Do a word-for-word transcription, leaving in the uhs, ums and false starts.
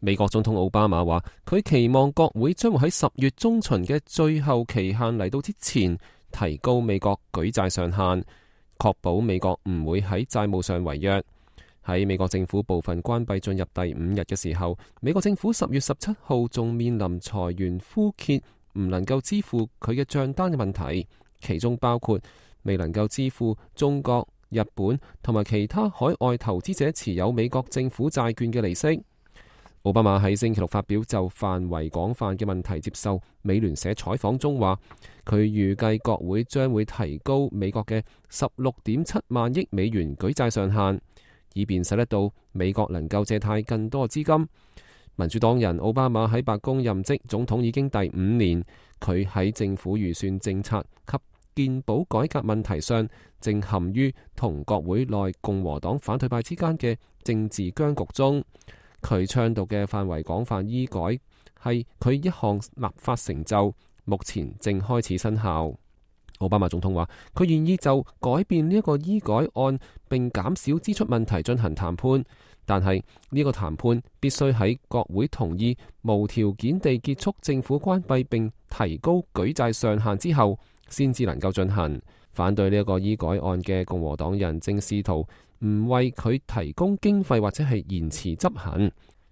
美國總統奧巴馬話，佢期望國會將會喺十月中旬嘅最後期限嚟到之前，提高美國舉債上限，確保美國唔會喺債務上違約。喺美國政府部分關閉進入第五日嘅時候，美國政府十月十七號仲面臨財源枯竭，唔能夠支付佢嘅賬單嘅問題，其中包括未能夠支付中國、日本同埋其他海外投資者持有美國政府債券嘅利息。奧巴馬喺星期六發表就範圍廣泛嘅問題接受美聯社採訪中話，佢預計國會將會提高美國嘅十六點七萬億美元舉債上限，以便使得到美國能夠借貸更多資金。民主黨人奧巴馬喺白宮任職總統已經第五年，佢喺政府預算政策及健保改革問題上，正陷於同國會內共和黨反對派之間嘅政治僵局中。佢倡導嘅範圍廣泛醫改係佢一項立法成就，目前正開始生效。奧巴馬總統話，佢願意就改變呢一個醫改案並減少支出問題進行談判，但係呢個談判必須喺國會同意無條件地結束政府關閉並提高舉債上限之後，先至能夠進行。反對呢一個醫改案嘅共和黨人正試圖唔為佢提供經費或者係延遲執行。